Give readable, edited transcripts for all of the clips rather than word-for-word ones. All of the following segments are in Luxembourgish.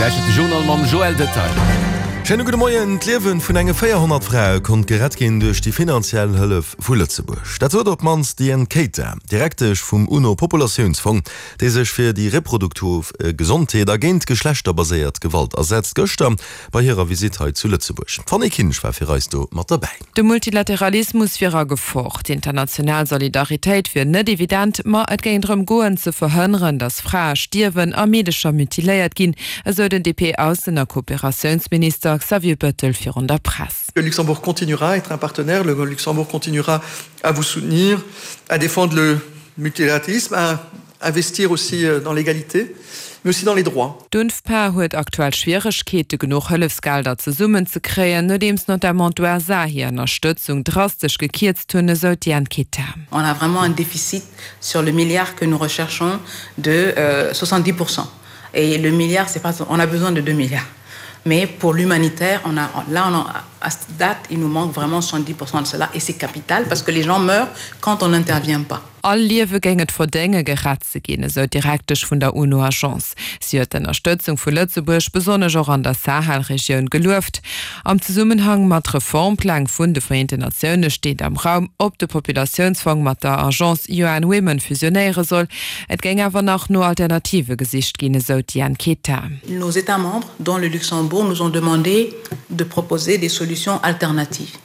Gläich de Journal mam Joël Detail. Schéine gudde Moien. D'Liewe vun enge 400 Frae konnt gerett ginn duerch déi finanziell Hëllef vu Lëtzebuerg. Dat sot op d'mannst d'Diane Keita, Direktesch vum UNO-Populatiounsfong, dee sech fir déi reproduktiv Gesondheet a géint geschlechterbaséiert Gewalt asetzt, gëschter bei hirer Visitt hei zu Lëtzebuerg. D'Fanny Kinsch war fir eis do mat derbäi. De Multilateralismus wier a Gefor, d'international Solidaritéit wier net evident, ma et géing drëm goen, ze verhënneren, datt Frae stierwen a Meedecher mutiléiert ginn, esou den DP-Aussen a Kooperatiounsminister Xavier Bettel virun der Press. Le Luxembourg continuera à être un partenaire, le Luxembourg continuera à vous soutenir, à défendre le multilatéralisme, à investir aussi dans l'égalité, mais aussi dans les droits. D'UNFPA huet aktuell Schwieregkeete genuch Hëllefsgelder zesummen ze kréien, nodeems notamment d'USA hir Ënnerstëtzung drastesch gekierzt hunn, esou d'Diane Keta. On a vraiment un déficit sur le milliard que nous recherchons de 70 pourcent et le milliard c'est pas on a besoin de 2 milliards mais pour l'humanitaire on a là on a à cette date il nous manque vraiment 70 pourcent de cela et c'est capital parce que les gens meurent quand on n'intervient pas. All Liewe géing et verdénge gerett ze ginn, esou d'Direktesch vun der UNO-Agence. Si huet d'Ënnerstëtzung vu Lëtzebuerg, besonnesch och an der Sahel-Regioun, gelueft. Am Zesummenhang mat Reformpläng vun de Vereenten Natioune steet am Raum, ob de Populatiounsfong mat der Agence UN Women fusionéiere soll. Et géing awer nach no Alternative gesicht ginn, esou d'Diane Keta. Nos États membres, dont le Luxembourg, nous ont demandé de proposer des solutions alternatives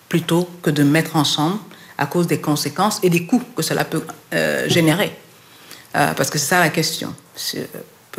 plutôt que de mettre ensemble à cause des conséquences et des coûts que cela peut euh, générer. Euh, parce que c'est ça la question.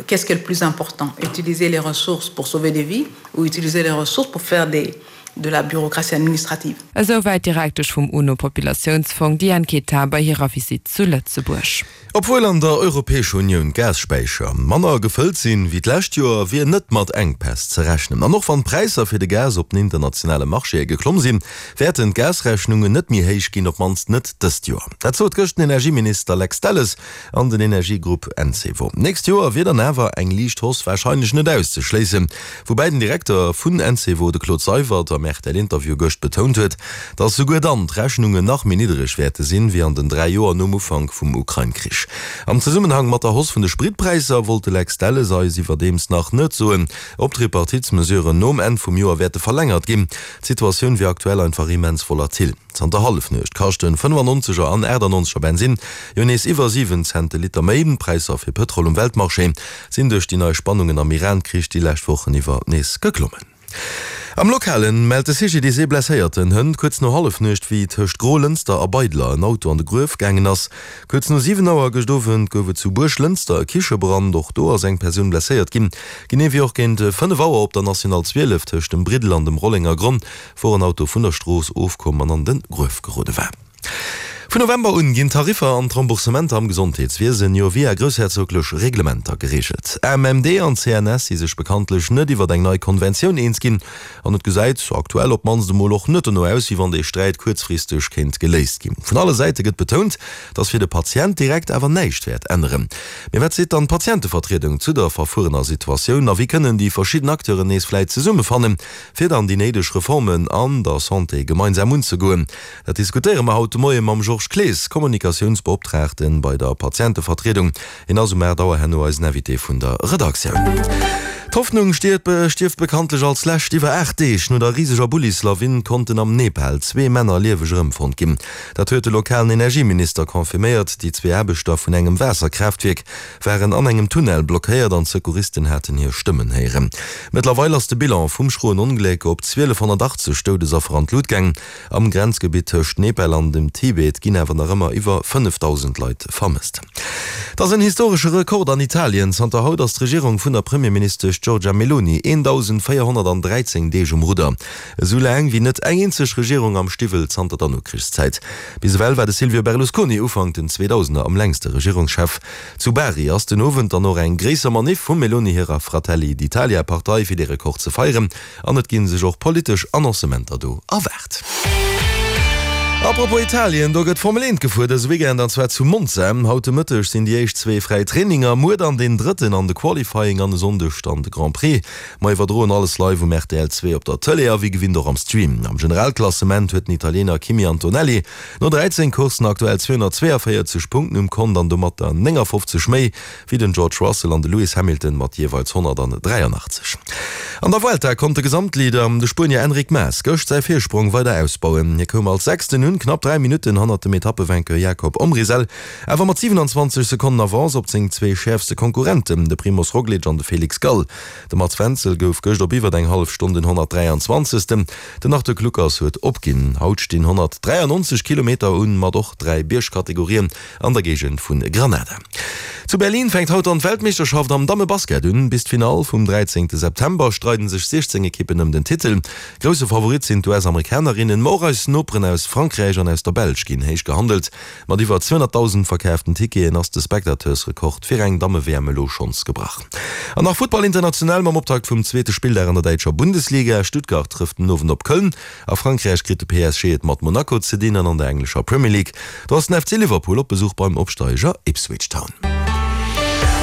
Qu'est-ce qui est le plus important Utiliser les ressources pour sauver des vies ou utiliser les ressources pour faire des, de la bureaucratie administrative. Esou wäit d'Direktesch vum UNO-Populatiounsfong Diane Keita bei hirer Visitt zu Lëtzebuerg. Obwuel an der Europäescher Unioun d'Gasspäicher manner gefëllt sinn, wéi d'lescht Joer, wier net mat Enkpäss ze rechnen. An och wann d'Präisser fir de Gas op den internationale Marchéë geklomm sinn, wäerten d'Gasrechnungen net méi héich ginn, op d'mannst net dëst Joer. Dat sot gëscht den Energieminister Lex Delles an den Energiegrupp Encevo. D'nächst Joer wier dann awer eng liicht Hausse warscheinlech net auszeschléissen. Woubäi den Direkter vun Encevo, de Claude Seywert, am RTL-Interview gëscht betount huet, datt souguer dann d'Rechnungen nach méi niddereg wäerte sinn, wéi an den 3 Joer nom Ufank vum Ukrain-Krich. Am Zesummenhang mat der Hausse vun de Spritpräisser wollt de Lex Delles eis iwwerdeems nach net soen, ob d'Repartitsmesuren nom Enn vum Joer wäerte verlängert ginn. D'Situatioun wier aktuell einfach immens volatil. Zanter Hallefnuecht kaschten 95 er an 98 er Bensinn jo nees iwwer 7 Cent de Liter méi. D'Präisser fir Pëtrol um Weltmarché sinn duerch déi nei Spannungen am Iran-Krich déi lescht Wochen iwwer nees geklommen. Am Lokalen mellt de CGDIS ee blesséierten Hënt kuerz no Hallefnuecht, wéi tëscht Grolënster a Beidler en Auto an de Gruef gaangen ass. Kuerz no 7 Auer gëscht Owend gouf et zu Buerglënster e Kichebrand. Och do ass eng Persoun blesséiert ginn. Genee wéi och géint 5 Auer op der National 12 tëscht dem Briddel an dem Rollengergronn, wor en Auto vun der Strooss ofkomm an an de Gruef gerode war. Vun November un ginn d'Tariffer an d'Remboursementer am Gesondheetswiesen jo via groussherzoglech Reglementer gereegelt. AMMD an CNS si sech bekanntlech net iwwert eng nei Konventioun eens ginn an et gesäit aktuell op d'mannst emol och net dono aus, wéi wann dee Sträit kuerzfristeg kéint geléist ginn. Vun alle Säite gëtt betount, datt fir de Patient direkt awer näischt wäert änneren. Mee wat seet dann d'Patientevertriedung zu der verfuerener Situatioun a wéi kënnen déi verschidden Acteuren nees vläit zesummefannen, fir dann déi néideg Reformen an der Santé gemeinsam unzegoen. Dat diskutéiere mer haut de Moie mam Georges Clees, Kommunikatiounsbeoptraagten bei der Patientevertriedung. Hien ass um 8 Auer herno eisen Invité vun der Redaktioun. D'Hoffnung stierft bekanntlech als lescht. Iwwer 8 Deeg no der riseger Bullislawin konnten am Nepal zwee Männer lieweg erëmfonnt ginn. Dat huet de lokalen Energieminister confirméiert. Déi zwee Aarbechter vun engem Waasserkraaftwierk waren an engem Tunnel blockéiert an d'Secouristen haten hir Stëmmen héieren. Mëttlerweil ass de Bilan vum schroen Ongléck op 1.280 Doudesaffer an d'Lut gaang. Am Grenzgebitt tëscht Nepal an dem Tibet ginn awer nach ëmmer iwwer 5.000 Leit vermësst. Et ass en historesche Rekord an Italien, Zanter haut ass d'Regierung vun der Premierministesch Giorgia Meloni 1.413 Deeg um Rudder. Esou laang wéi net eng eenzeg Regierung am Stiwwel zanter der Nokrichszäit. Bis ewell war de Silvio Berlusconi Ufank den Zweedausener am längste Regierungschef. Zu Bari ass den Owend dann och eng gréisser Maniff vum Meloni hirer Fratelli d'Italia Partei fir dee Rekord ze feieren an et gi sech och politesch Annoncementer do erwaart. Apropos Italien, do gëtt Formel 1 gefuer dëse Weekend an zwar zu Monza. Haut de Mëtteg sinn déi éischt zwee fräi Traininger, muer dann deen drëtten an de Qualifying an e Sonndeg dann de Grand Prix. Mer iwwerdroen alles live um rtl 2 op der Tëlee a wéi gewinnt och am Stream. Am Generalklassement huet den Italiener Kimi Antonelli no 13 Courssen aktuell 242 Punkten um Kont an domatter 59 méi wéi den George Russell an de Lewis Hamilton mat jeeweils 183. An der Vuelta konnt de Gesamtleader, de Spuenier Enric Mas, gëscht säi Virsprong weider ausbauen. Hie koum als Sechsten un, knapp 3 Minutten hannert dem Etappevainqueur Jakob Omrisel, awer mat 27 Sekonnen Avance op seng zwee schäerfste Konkurrenten, de Primoz Roglic an de Felix Gall. De Mats Wenzel gouf gëscht op iwwer eng hallef Stonn den 123. Den Arthur Kluckers huet opginn. Haut stinn 193 Kilometer un, mat och 3 Biergkategorien. An der Géigend vu Granada. Zu Berlin fänkt haut dann d'Weltmeeschterschaft am Dammebasket un. Bis d'Finall vum 13 September streiden sech 16 Ekippen ëm den Titel. Grousse Favorit sinn d'US-Amerikanerinnen, ma och eis Noperen aus Frankräich an aus der Belsch ginn héich gehandelt. Mat iwwer 200.000 verkaaften Ticketen ass de Spectateursrekord fir eng Damme-WM elo schonns gebrach. An nach Futtball international mam Optakt vum zweete Spilldag an der däitscher Bundesliga. Stuttgart trëfft den Owend op Köln. A Frankräich kritt de PSG et mat Monaco ze dinn an an der englescher Premier League, do ass den FC Liverpool op Besuch beim Opsteiger Ipswich Town.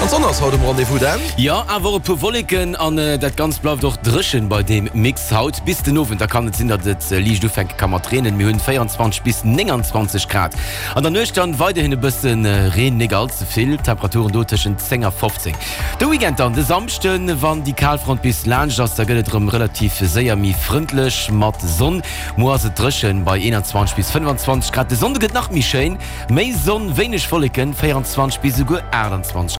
An d'Sonn ass haut um Rendez-vous, Dan? Jo, awer och e puer Wolleken an dat Ganzt bleift och dréchen bei deem Mix haut. Bis den Owend, da kann et sinn, datt et liicht ufänke ka mat reenen. Mir hunn 24 bis 29 Grad. An der Nuecht dann weiderhin e bësse Reen, nik all ze vill, Temperaturen do tëschent 10 a 15. De Weekend dann, de Samschden, wann déi Kalfront bis laanscht ass, da gëtt et erëm relativ séier méi frëndlech mat Sonn. Muer ass et dréchen bei 21 bis 25 Grad. De Sonnde gëtt nach méi schéin, méi Sonn, wéineg Wolleken, 24 bis esouguer 28.